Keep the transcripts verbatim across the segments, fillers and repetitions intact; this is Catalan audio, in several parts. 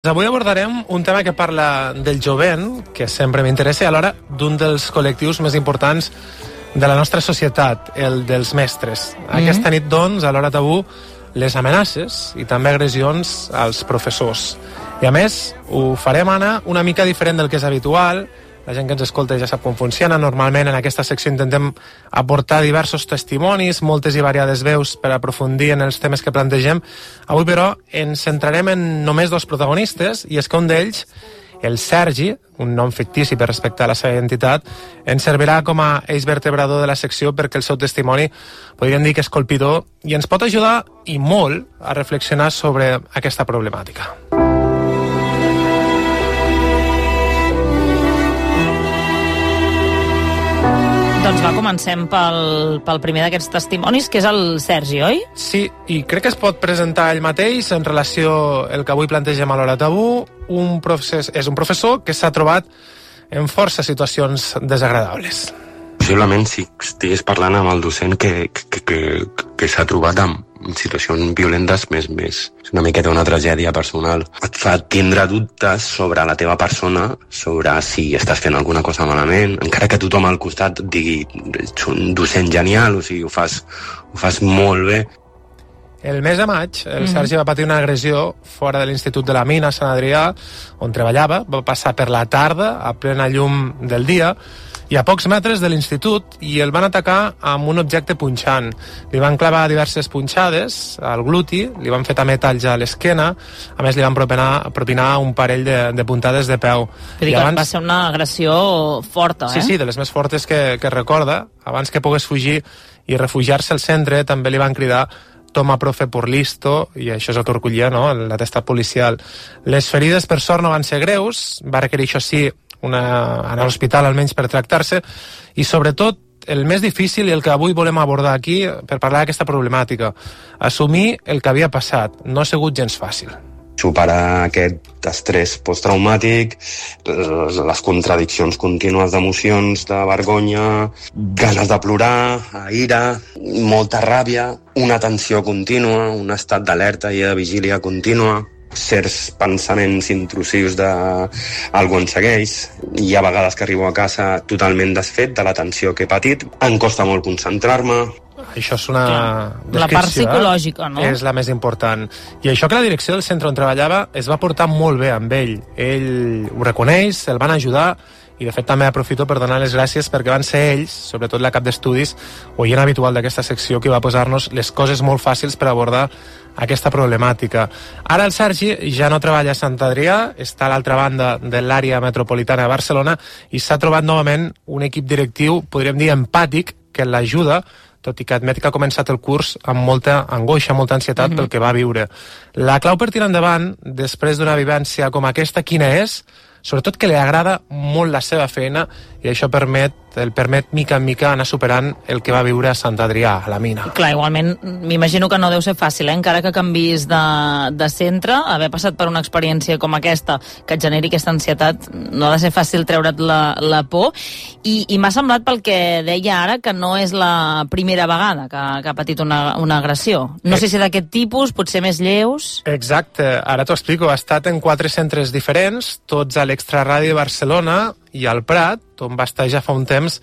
Avui abordarem un tema que parla del jovent, que sempre m'interessa, i alhora d'un dels col·lectius més importants de la nostra societat, el dels mestres. Mm-hmm. Aquesta nit, doncs, a l'hora tabú, les amenaces i també agressions als professors. I a més, ho farem anar una mica diferent del que és habitual. La gent que ens escolta ja sap com funciona. Normalment en aquesta secció intentem aportar diversos testimonis, moltes i variades veus per aprofundir en els temes que plantegem. Avui, però, ens centrarem en només dos protagonistes, i és que un d'ells, el Sergi, un nom fictici per respectar la seva identitat, ens servirà com a eix vertebrador de la secció perquè el seu testimoni podríem dir que és colpidor i ens pot ajudar, i molt, a reflexionar sobre aquesta problemàtica. Doncs va, comencem pel, pel primer d'aquests testimonis, que és el Sergi, oi? Sí, i crec que es pot presentar ell mateix en relació al que avui plantegem a l'hora tabú. Un procés, és un professor que s'ha trobat en força situacions desagradables. Possiblement si estigués parlant amb el docent que, que, que, que s'ha trobat amb situacions violentes, més, més una miqueta una tragèdia personal. Et fa tindre dubtes sobre la teva persona, sobre si estàs fent alguna cosa malament, encara que tothom al costat digui ets un docent genial, o sigui, ho fas, ho fas molt bé. El mes de maig, el mm-hmm. Sergi va patir una agressió fora de l'Institut de la Mina, a Sant Adrià, on treballava. Va passar per la tarda, a plena llum del dia, i a pocs metres de l'institut, i el van atacar amb un objecte punxant. Li van clavar diverses punxades al gluti, li van fer també talls a l'esquena, a més li van propinar, propinar un parell de, de puntades de peu. I abans... Va ser una agressió forta, eh? Sí, sí, de les més fortes que, que recorda. Abans que pogués fugir i refugiar-se al centre, també li van cridar «Toma, profe, por listo», i això és el que recollia, no?, l'atestat policial. Les ferides, per sort, no van ser greus, va requerir, això sí, una, anar a l'hospital almenys per tractar-se, i sobretot el més difícil i el que avui volem abordar aquí per parlar d'aquesta problemàtica, assumir el que havia passat. No ha sigut gens fàcil. Superar aquest estrès posttraumàtic, les contradiccions contínues d'emocions, de vergonya, ganes de plorar, ira, molta ràbia, una tensió contínua, un estat d'alerta i de vigília contínua, certs pensaments intrusius de algú en segueix. Hi ha vegades que arribo a casa totalment desfet de la tensió que he patit. Em costa molt concentrar-me. Això és una descripció, la part psicològica, eh? no? És la més important. I això que la direcció del centre on treballava es va portar molt bé amb ell. Ell ho reconeix, el van ajudar, i de fet també aprofito per donar les gràcies perquè van ser ells, sobretot la cap d'estudis, oient habitual d'aquesta secció, que va posar-nos les coses molt fàcils per abordar aquesta problemàtica. Ara el Sergi ja no treballa a Sant Adrià, està a l'altra banda de l'àrea metropolitana de Barcelona i s'ha trobat novament un equip directiu, podríem dir empàtic, que l'ajuda, tot i que admet que ha començat el curs amb molta angoixa, molta ansietat mm-hmm. pel que va viure. La clau per tirar endavant, després d'una vivència com aquesta, quina és? Sobretot que li agrada molt la seva feina, i això permet, el permet mica en mica anar superant el que va viure a Sant Adrià, a la mina. Clar, igualment, m'imagino que no deu ser fàcil, eh? Encara que canvis de, de centre, haver passat per una experiència com aquesta, que et generi aquesta ansietat, no ha de ser fàcil treure't la, la por, i, i m'ha semblat pel que deia ara que no és la primera vegada que, que ha patit una, una agressió. No eh. sé si d'aquest tipus, potser més lleus... Exacte, ara t'ho explico. Ha estat en quatre centres diferents, tots a l'Extraradi de Barcelona i al Prat, on va estar ja fa un temps.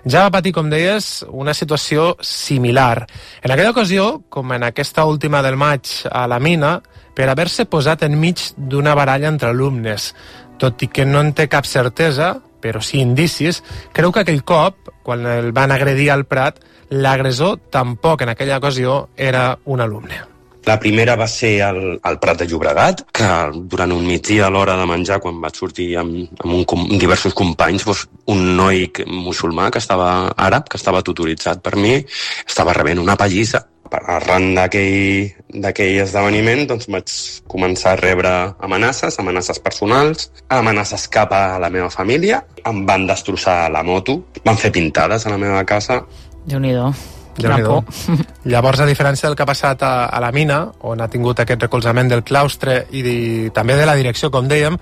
Ja va patir, com deies, una situació similar. En aquella ocasió, com en aquesta última del maig a la mina, per haver-se posat enmig d'una baralla entre alumnes. Tot i que no en té cap certesa, però sí indicis, creu que aquell cop, quan el van agredir al Prat, l'agressor tampoc en aquella ocasió era un alumne. La primera va ser al, al Prat de Llobregat, que durant un migdia a l'hora de menjar, quan vaig sortir amb, amb, un, amb diversos companys, doncs un noi musulmà que estava àrab, que estava tutoritzat per mi, estava rebent una pallissa. Arran d'aquell, d'aquell esdeveniment, doncs vaig començar a rebre amenaces, amenaces personals, amenaces cap a la meva família. Em van destrossar la moto, van fer pintades a la meva casa. Déu-n'hi-do. Llavors, a diferència del que ha passat a, a la mina, on ha tingut aquest recolzament del claustre i de, també de la direcció, com dèiem,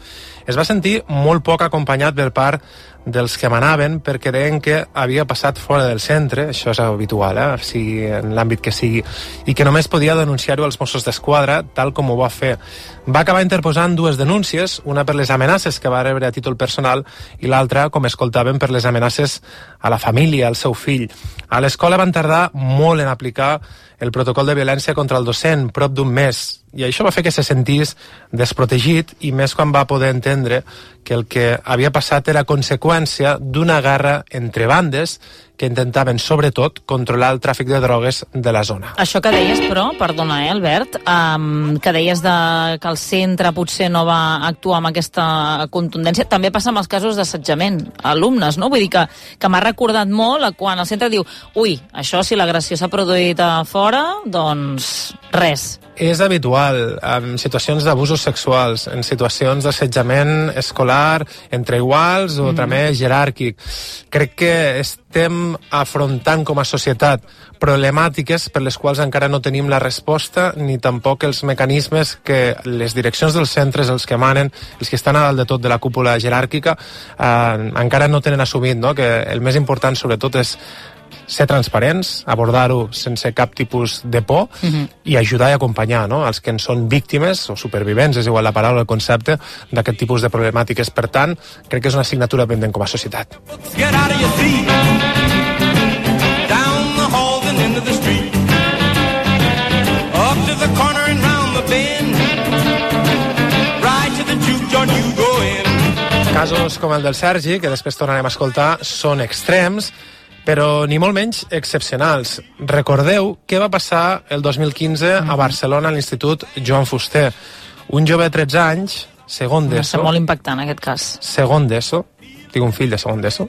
es va sentir molt poc acompanyat per part dels que manaven perquè deien que havia passat fora del centre, això és habitual, eh? Si en l'àmbit que sigui, i que només podia denunciar-ho als Mossos d'Esquadra, tal com ho va fer. Va acabar interposant dues denúncies, una per les amenaces que va rebre a títol personal i l'altra, com escoltàvem, per les amenaces a la família, al seu fill. A l'escola van tardar molt en aplicar el protocol de violència contra el docent, prop d'un mes, i això va fer que se sentís desprotegit, i més quan va poder entendre que el que havia passat era conseqüència d'una guerra entre bandes que intentaven, sobretot, controlar el tràfic de drogues de la zona. Això que deies, però, perdona, eh, Albert, um, que deies de que el centre potser no va actuar amb aquesta contundència, també passa amb els casos d'assetjament a alumnes, no? Vull dir que, que m'ha recordat molt quan el centre diu ui, això si l'agressió s'ha produït a fora, doncs res. És habitual en situacions d'abusos sexuals, en situacions d'assetjament escolar, entre iguals o mm. també jeràrquic. Crec que estem afrontant com a societat problemàtiques per les quals encara no tenim la resposta ni tampoc els mecanismes que les direccions dels centres, els que manen, els que estan a dalt de tot de la cúpula jeràrquica, eh, encara no tenen assumit, no? Que el més important sobretot és ser transparents, abordar-ho sense cap tipus de por uh-huh. i ajudar i acompanyar, no? Els que en són víctimes o supervivents, és igual la paraula o el concepte, d'aquest tipus de problemàtiques. Per tant, crec que és una assignatura pendent com a societat. Casos com el del Sergi, que després tornarem a escoltar, són extrems, però ni molt menys excepcionals. Recordeu què va passar el dos mil quinze a Barcelona a l'Institut Joan Fuster. Un jove de tretze anys, segon d'ESO... Va ser molt impactant, aquest cas. Segon d'ESO, tinc un fill de segon d'ESO,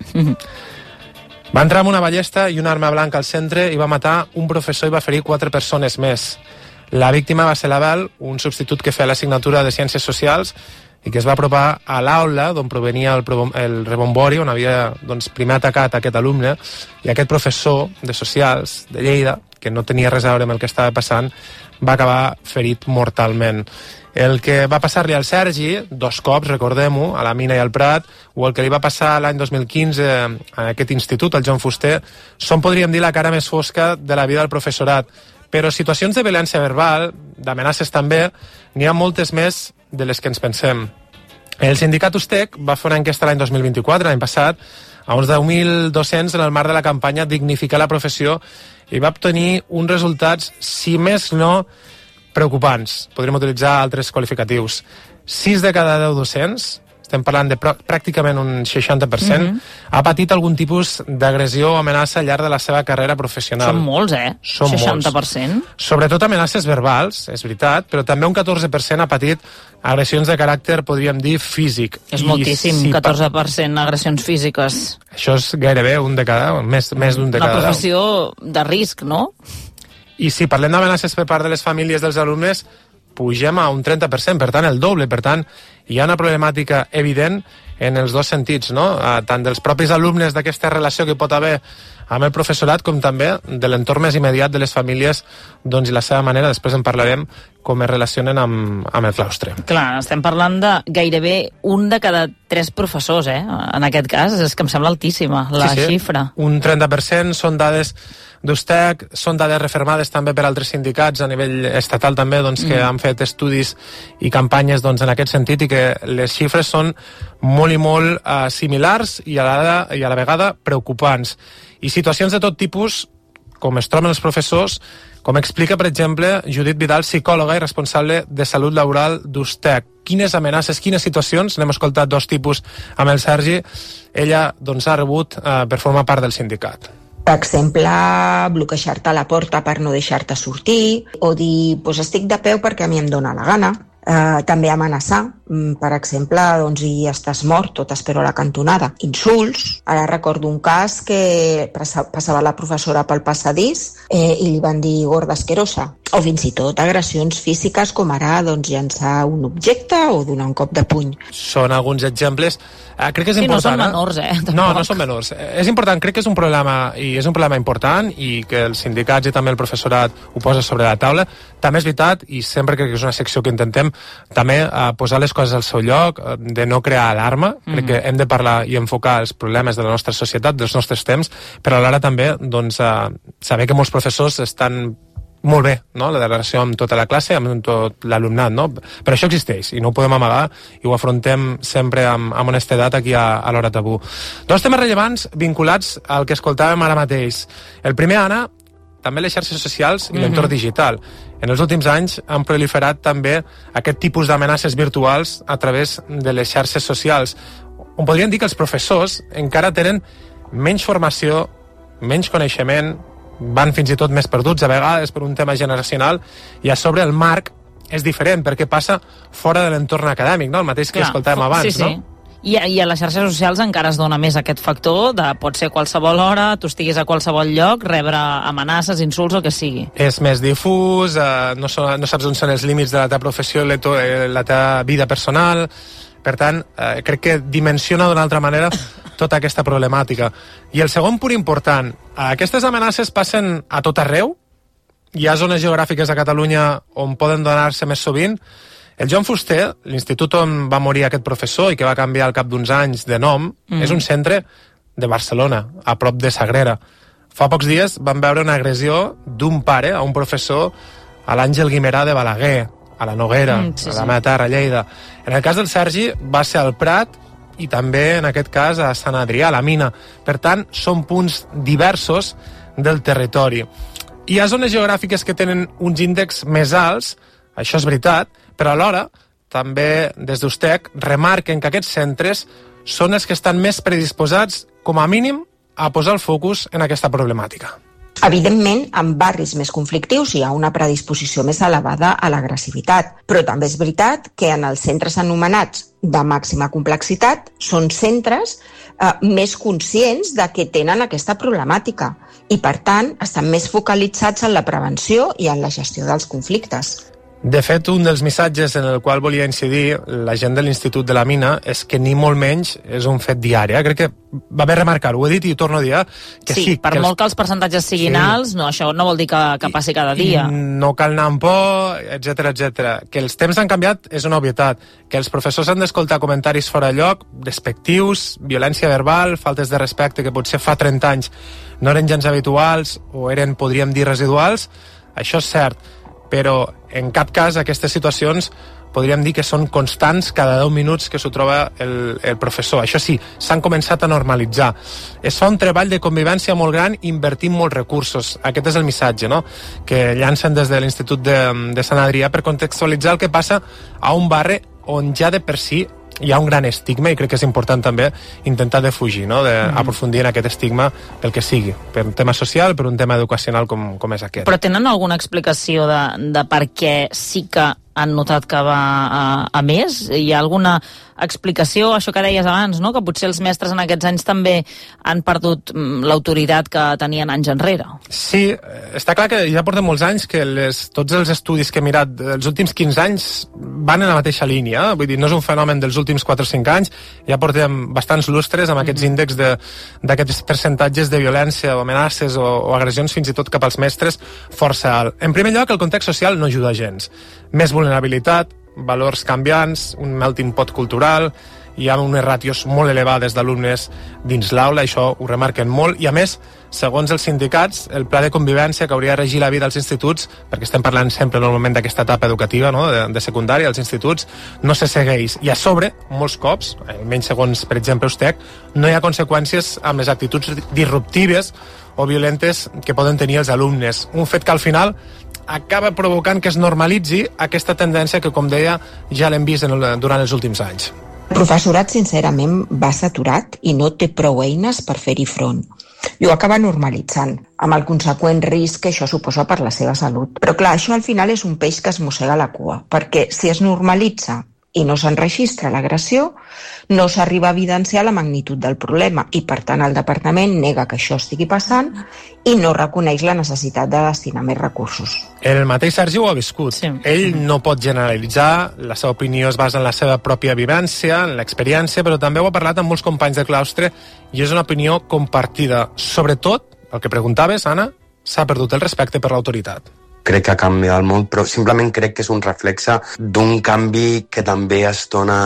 va entrar amb una ballesta i una arma blanca al centre i va matar un professor i va ferir quatre persones més. La víctima va ser l'Abel, un substitut que feia l'assignatura de Ciències Socials i que es va apropar a l'aula d'on provenia el, el rebombori, on havia doncs, primer atacat aquest alumne, i aquest professor de Socials de Lleida, que no tenia res a veure amb el que estava passant, va acabar ferit mortalment. El que va passar-li al Sergi, dos cops, recordem-ho, a la Mina i al Prat, o el que li va passar l'any dos mil quinze a aquest institut, al Joan Fuster, són, podríem dir, la cara més fosca de la vida del professorat. Però situacions de violència verbal, d'amenaces també, n'hi ha moltes més de les que ens pensem. El sindicat Ustec va fer una enquesta l'any dos mil vint-i-quatre, l'any passat, a uns deu mil dos-cents en el marc de la campanya Dignificar la professió, i va obtenir uns resultats, si més no, preocupants. Podríem utilitzar altres qualificatius. sis de cada deu docents, estem parlant de pràcticament un seixanta per cent, mm-hmm. ha patit algun tipus d'agressió o amenaça al llarg de la seva carrera professional. Són molts, eh? Són seixanta per cent. Molts. Sobretot amenaces verbals, és veritat, però també un catorze per cent ha patit agressions de caràcter, podríem dir, físic. És I moltíssim, si catorze per cent agressions físiques. Això és gairebé un de cada, més, més d'un de cada. Una professió de risc, no? I si parlem d'amenaces per part de les famílies dels alumnes, pugem a un trenta per cent, per tant, el doble. Per tant, hi ha una problemàtica evident en els dos sentits, no? Tant dels propis alumnes d'aquesta relació que pot haver amb el professorat, com també de l'entorn més immediat de les famílies, doncs, i la seva manera, després en parlarem, com es relacionen amb, amb el claustre. Clar, estem parlant de gairebé un de cada tres professors, eh? En aquest cas, és que em sembla altíssima la sí, sí. xifra. Un trenta per cent són dades d'Ustec, són dades refermades també per altres sindicats a nivell estatal també, doncs, que mm. han fet estudis i campanyes, doncs, en aquest sentit, i que les xifres són molt i molt uh, similars i a, la, i a la vegada preocupants. I situacions de tot tipus, com es troben els professors, com explica, per exemple, Judit Vidal, psicòloga i responsable de salut laboral d'Ustec. Quines amenaces, quines situacions, n'hem escoltat dos tipus amb el Sergi, ella doncs, ha rebut uh, per formar part del sindicat. Per exemple, bloquejar-te la porta per no deixar-te sortir, o dir, pues estic de peu perquè a mi em dóna la gana. Uh, també amenaçar, per exemple, doncs, i estàs mort o t'espero a la cantonada. Insults. Ara recordo un cas que passava la professora pel passadís eh, i li van dir gorda asquerosa. O fins i tot agressions físiques, com ara doncs, llançar un objecte o donar un cop de puny. Són alguns exemples. Eh, crec que és sí, important. No són menors, eh? Tampoc. No, no són menors. És important, crec que és un problema, i és un problema important, i que els sindicats i també el professorat ho posa sobre la taula. També és veritat, i sempre crec que és una secció que intentem també eh, posar les coses al seu lloc, de no crear alarma. Mm-hmm. Crec que hem de parlar i enfocar els problemes de la nostra societat, dels nostres temps, però alhora també doncs, uh, saber que molts professors estan molt bé, no?, la relació amb tota la classe, amb tot l'alumnat, no? Però això existeix i no ho podem amagar i ho afrontem sempre amb, amb honestedat aquí a, a l'Hora Tabú. Dos temes rellevants vinculats al que escoltàvem ara mateix. El primer, Anna, també les xarxes socials i mm-hmm. l'entorn digital. En els últims anys han proliferat també aquest tipus d'amenaces virtuals a través de les xarxes socials, on podríem dir que els professors encara tenen menys formació, menys coneixement, van fins i tot més perduts a vegades per un tema generacional, i a sobre el marc és diferent perquè passa fora de l'entorn acadèmic, no? El mateix que Clar, escoltàvem abans, sí, sí. no? I, I a les xarxes socials encara es dona més aquest factor de pot ser a qualsevol hora, tu estiguis a qualsevol lloc, rebre amenaces, insults, o que sigui. És més difús, eh, no, so, no saps on són els límits de la teva professió i la, to, la teva vida personal. Per tant, eh, crec que dimensiona d'una altra manera tota aquesta problemàtica. I el segon punt important, aquestes amenaces passen a tot arreu, hi ha zones geogràfiques a Catalunya on poden donar-se més sovint. El Joan Fuster, l'institut on va morir aquest professor i que va canviar al cap d'uns anys de nom, mm. és un centre de Barcelona, a prop de Sagrera. Fa pocs dies van veure una agressió d'un pare a un professor a l'Àngel Guimerà de Balaguer, a la Noguera, mm, sí, a la meva terra, a Lleida. En el cas del Sergi va ser al Prat i també, en aquest cas, a Sant Adrià, a la Mina. Per tant, són punts diversos del territori. Hi ha zones geogràfiques que tenen uns índexs més alts, això és veritat, però alhora, també des d'Ustec, remarquen que aquests centres són els que estan més predisposats, com a mínim, a posar el focus en aquesta problemàtica. Evidentment, en barris més conflictius hi ha una predisposició més elevada a l'agressivitat, però també és veritat que en els centres anomenats de màxima complexitat són centres eh, més conscients de que tenen aquesta problemàtica i, per tant, estan més focalitzats en la prevenció i en la gestió dels conflictes. De fet, un dels missatges en el qual volia incidir la gent de l'Institut de la Mina és que ni molt menys és un fet diari. Eh? Crec que va bé remarcar-ho, ho he dit i ho torno a dir, que sí, sí per que molt els... que els percentatges siguin sí. alts, no, això no vol dir que, que passi cada dia. I no cal anar amb por, etcètera, etcètera. Que els temps han canviat és una obvietat. Que els professors han d'escoltar comentaris fora de lloc, despectius, violència verbal, faltes de respecte que potser fa trenta anys no eren gens habituals o eren, podríem dir, residuals, això és cert. Però en cap cas aquestes situacions podríem dir que són constants cada deu minuts que s'ho troba el, el professor. Això sí, s'han començat a normalitzar. Es fa un treball de convivència molt gran invertint molts recursos. Aquest és el missatge, no?, que llancen des de l'Institut de, de Sant Adrià per contextualitzar el que passa a un barri on ja de per si hi ha un gran estigma, i crec que és important també intentar defugir, no?, d'aprofundir en aquest estigma pel que sigui, per un tema social, per un tema educacional com, com és aquest. Però tenen alguna explicació de, de per què sí que han notat que va a, a més? Hi ha alguna explicació, això que deies abans, no?, que potser els mestres en aquests anys també han perdut l'autoritat que tenien anys enrere? Sí, està clar que ja portem molts anys que les, tots els estudis que he mirat els últims quinze anys van en la mateixa línia, vull dir, no és un fenomen dels últims quatre o cinc anys, ja portem bastants lustres amb aquests mm-hmm. índexs d'aquests percentatges de violència o amenaces o, o agressions fins i tot cap als mestres força alt. En primer lloc, el context social no ajuda gens. Més vulnerabilitat, valors canviants, un melting pot cultural, hi ha unes ràtios molt elevades d'alumnes dins l'aula, això ho remarquen molt, i a més, segons els sindicats, el pla de convivència que hauria de regir la vida als instituts, perquè estem parlant sempre normalment d'aquesta etapa educativa, no?, de, de secundària, als instituts, no se segueix. I a sobre, molts cops, almenys segons, per exemple, Ustec, no hi ha conseqüències amb les actituds disruptives o violentes que poden tenir els alumnes. Un fet que al final acaba provocant que es normalitzi aquesta tendència que, com deia, ja l'hem vist en el, durant els últims anys. El professorat, sincerament, va saturat i no té prou eines per fer-hi front. I ho acaba normalitzant, amb el conseqüent risc que això suposa per la seva salut. Però clar, això al final és un peix que es mossega la cua, perquè si es normalitza i no s'enregistra l'agressió, no s'arriba a evidenciar la magnitud del problema i, per tant, el departament nega que això estigui passant i no reconeix la necessitat de destinar més recursos. El mateix Sergi ho ha viscut. Sí. Ell no pot generalitzar, la seva opinió es basa en la seva pròpia vivència, en l'experiència, però també ho ha parlat amb molts companys de claustre i és una opinió compartida. Sobretot, el que preguntaves, Anna, s'ha perdut el respecte per l'autoritat. crec que ha canviat molt, però simplement crec que és un reflexe d'un canvi que també es dona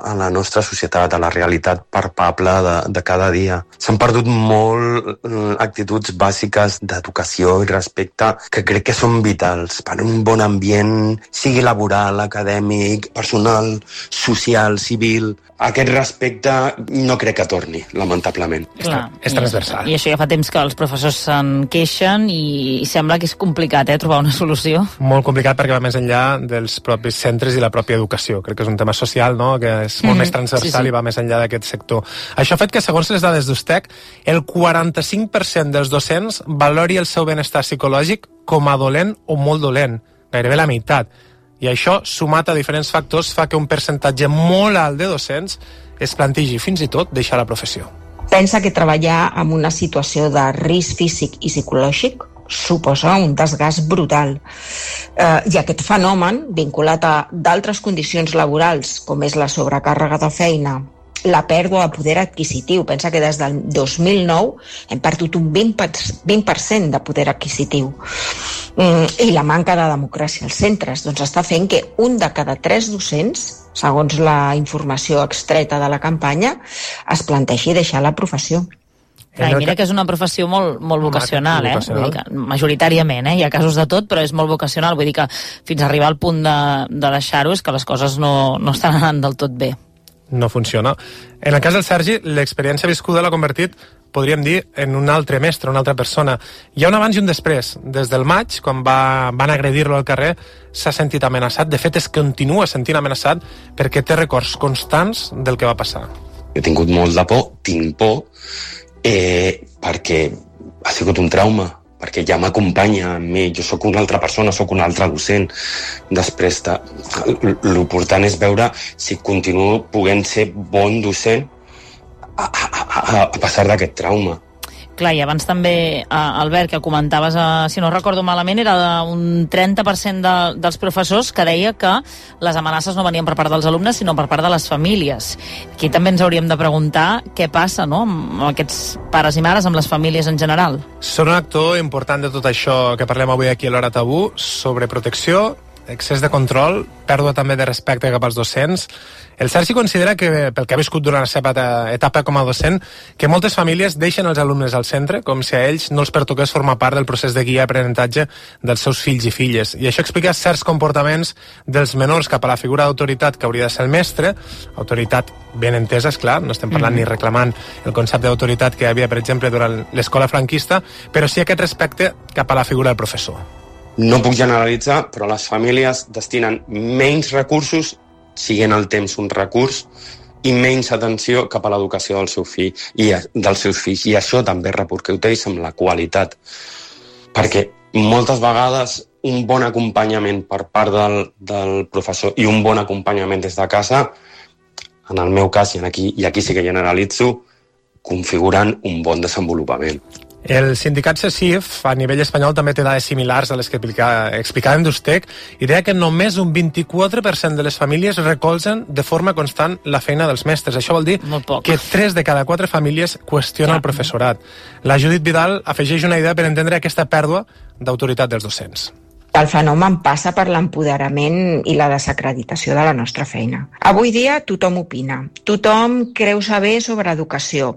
a la nostra societat, a la realitat palpable de, de cada dia. S'han perdut molt actituds bàsiques d'educació i respecte que crec que són vitals per un bon ambient, sigui laboral, acadèmic, personal, social, civil. Aquest respecte no crec que torni, lamentablement. Clar, és transversal. I, I això ja fa temps que els professors se'n queixen i, i sembla que és complicat, eh, trobar una solució. Molt complicat perquè va més enllà dels propis centres i la pròpia educació. Crec que és un tema social, no?, que és molt mm, més transversal sí, sí. i va més enllà d'aquest sector. Això ha fet que, segons les dades d'Ustec, el quaranta-cinc per cent dels docents valori el seu benestar psicològic com a dolent o molt dolent, gairebé la meitat. I això, sumat a diferents factors, fa que un percentatge molt alt de docents es plantegi fins i tot deixar la professió. Pensa que treballar en una situació de risc físic i psicològic suposa un desgast brutal. Eh, I aquest fenomen, vinculat a d'altres condicions laborals, com és la sobrecàrrega de feina, la pèrdua de poder adquisitiu, pensa que des del dos mil nou hem perdut un vint per cent de poder adquisitiu, i la manca de democràcia als centres, doncs està fent que un de cada tres docents, segons la informació extreta de la campanya, es plantegi deixar la professió. Clar, mira que és una professió molt, molt vocacional, eh? Vull dir que, majoritàriament, eh? Hi ha casos de tot, però és molt vocacional. Vull dir que fins a arribar al punt de, de deixar-ho és que les coses no, no estan anant del tot bé. No funciona. En el cas del Sergi, l'experiència viscuda l'ha convertit, podríem dir, en un altre mestre, una altra persona. Hi ha un abans i un després. Des del maig, quan va, van agredir-lo al carrer, s'ha sentit amenaçat. De fet, es continua sentint amenaçat perquè té records constants del que va passar. He tingut molt de por, tinc por, eh, perquè ha sigut un trauma, perquè ja m'acompanya amb mi, jo sóc una altra persona, sóc un altre docent. Després, de... l'important és veure si continuo podent ser bon docent a, a, a, a passar d'aquest trauma. Clar, i abans també, Albert, que comentaves, si no recordo malament, era un trenta per cent de, dels professors que deia que les amenaces no venien per part dels alumnes, sinó per part de les famílies. Aquí també ens hauríem de preguntar què passa, no?, amb aquests pares i mares, amb les famílies en general. Són un actor important de tot això que parlem avui aquí a l'Hora Tabú, sobre protecció, excés de control, pèrdua també de respecte cap als docents. El Sergi considera que, pel que ha viscut durant la seva etapa com a docent, que moltes famílies deixen els alumnes al centre, com si a ells no els pertoqués formar part del procés de guia i aprenentatge dels seus fills i filles. I això explica certs comportaments dels menors cap a la figura d'autoritat que hauria de ser el mestre, autoritat ben entesa, esclar, no estem parlant mm. ni reclamant el concepte d'autoritat que hi havia, per exemple, durant l'escola franquista, però sí aquest respecte cap a la figura del professor. No puc generalitzar, però les famílies destinen menys recursos, siguent el temps un recurs, i menys atenció cap a l'educació del seu fill i dels seus fills. I això també repercuteix amb la qualitat. Perquè moltes vegades un bon acompanyament per part del, del professor i un bon acompanyament des de casa, en el meu cas, i aquí, i aquí sí que generalitzo, configuren un bon desenvolupament. El sindicat CECIF a nivell espanyol també té dades similars a les que explicàvem d'Ustec i deia que només un vint-i-quatre per cent de les famílies recolzen de forma constant la feina dels mestres. Això vol dir que tres de cada quatre famílies qüestionen ja. el professorat. La Judit Vidal afegeix una idea per entendre aquesta pèrdua d'autoritat dels docents. El fenomen passa per l'empoderament i la desacreditació de la nostra feina. Avui dia tothom opina, tothom creu saber sobre educació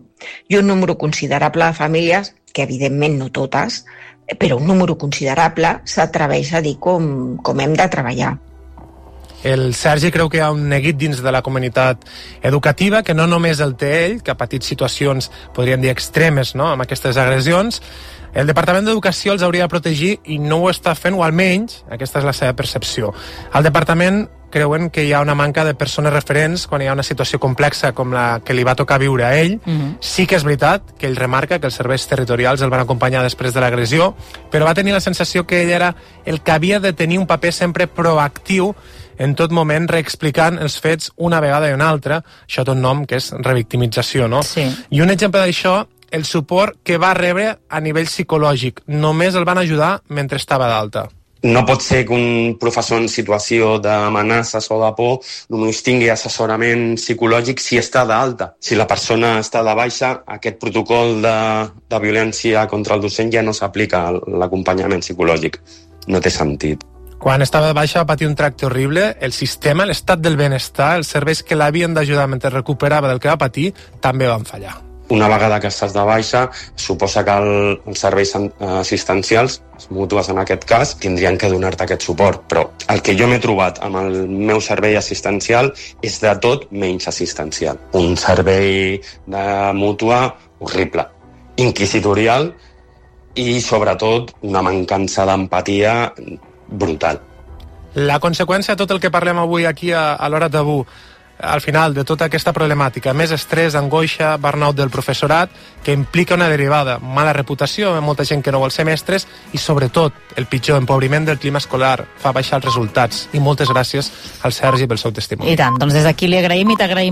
i un número considerable de famílies, que evidentment no totes, però un número considerable s'atreveix a dir com, com hem de treballar. El Sergi creu que hi ha un neguit dins de la comunitat educativa que no només el té ell, que ha patit situacions, podríem dir, extremes, no?, amb aquestes agressions. El Departament d'Educació els hauria de protegir i no ho està fent, o almenys aquesta és la seva percepció. Al Departament creuen que hi ha una manca de persones referents quan hi ha una situació complexa com la que li va tocar viure a ell. Uh-huh. Sí que és veritat que ell remarca que els serveis territorials el van acompanyar després de l'agressió, però va tenir la sensació que ell era el que havia de tenir un paper sempre proactiu en tot moment, reexplicant els fets una vegada i una altra. Això té un nom que és revictimització, no? Sí. I un exemple d'això, el suport que va rebre a nivell psicològic. Només el van ajudar mentre estava d'alta. No pot ser que un professor en situació d'amenaces o de por només tingui assessorament psicològic si està d'alta. Si la persona està de baixa, aquest protocol de, de violència contra el docent ja no s'aplica a l'acompanyament psicològic. no té sentit. Quan estava de baixa va patir un tracte horrible, el sistema, l'estat del benestar, els serveis que l'havien d'ajudar mentre recuperava del que va patir, també van fallar. Una vegada que estàs de baixa, suposa que el, els serveis assistencials, les mútues en aquest cas, tindrien que donar-te aquest suport. Però el que jo m'he trobat amb el meu servei assistencial és de tot menys assistencial. Un servei de mútua horrible, inquisitorial i, sobretot, una mancança d'empatia brutal. La conseqüència de tot el que parlem avui aquí a, a l'Hora Tabú, al final de tota aquesta problemàtica, més estrès, angoixa, burnout del professorat, que implica una derivada, mala reputació, molta gent que no vol ser mestres i, sobretot, el pitjor, empobriment del clima escolar, fa baixar els resultats. I moltes gràcies al Sergi pel seu testimoni. I tant, doncs des d'aquí li agraïm i t'agraïm